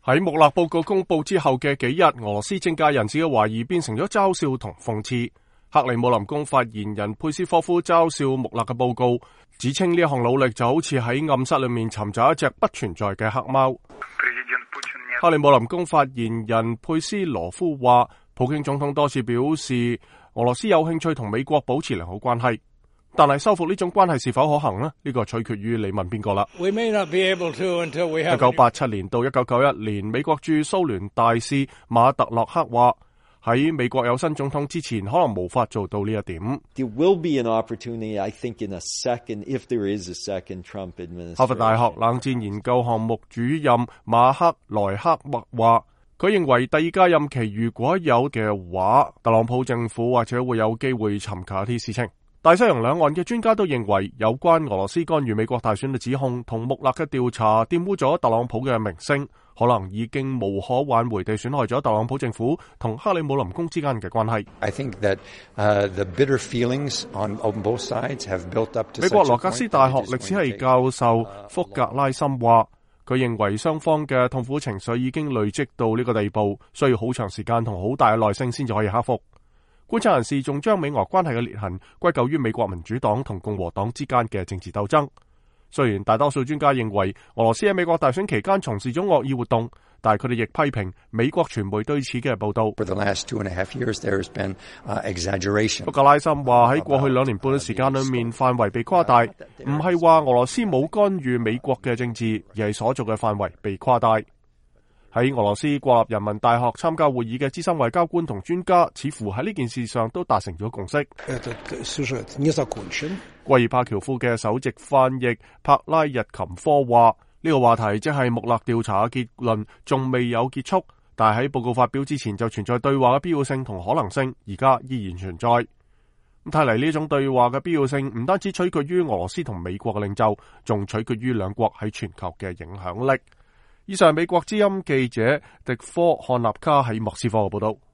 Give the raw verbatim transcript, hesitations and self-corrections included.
喺穆勒報告公佈之後嘅幾日，俄羅斯政界人士嘅懷疑變成咗嘲笑同諷刺。克里姆林宮發言人佩斯科夫嘲笑穆勒嘅報告，指稱呢一項努力就好似喺暗室裏面尋找一隻不存在嘅黑貓。克里姆林宮發言人佩斯羅夫話，普京總統多次表示俄羅斯有興趣同美國保持良好關係，但係修復呢種關係是否可行呢？呢、這個取決於你問邊個啦。一九八七年到一九九一年，美國駐蘇聯大使馬特洛克話，喺美國有新總統之前，可能無法做到呢一點。哈佛大學冷戰研究項目主任馬克萊克默話，佢認為第二屆任期如果有嘅話，特朗普政府或者會有機會尋求一啲事情。大西洋兩岸嘅專家都認為，有關俄羅斯干預美國大選嘅指控同穆勒嘅調查玷污咗特朗普嘅名聲，可能已經無可挽回地損害咗特朗普政府同克里姆林宮之間嘅關係。I think that, uh, the bitter feelings on, on both sides have built up to 美國羅格斯大學歷史系教授福格拉森話，佢認為雙方嘅痛苦情緒已經累積到呢個地步，需要好長時間同好大嘅耐性先至可以克服。觀察人士仲將美俄關係嘅裂痕歸咎於美國民主黨同共和黨之間嘅政治鬥爭。雖然大多數專家認為俄羅斯喺美國大選期間從事咗惡意活動，但係佢哋亦批評美國傳媒對此嘅報導。福格拉森話，喺過去兩年半嘅時間裏面，範圍被誇大，唔係話俄羅斯冇干預美國嘅政治，而係所做嘅範圍被誇大。喺俄羅斯國立人民大學參加會議嘅資深外交官同專家，似乎喺呢件事上都達成咗共識。貴爾帕喬夫嘅首席翻譯帕拉日琴科話，呢個話題即係穆勒調查嘅結論仲未有結束，但係喺報告發表之前就存在對話嘅必要性同可能性，而家依然存在。咁睇嚟呢種對話嘅必要性唔單止取決於俄羅斯同美國嘅領袖，仲取決於兩國喺全球嘅影響力。以上美國之音記者迪科漢納卡喺莫斯科嘅報道。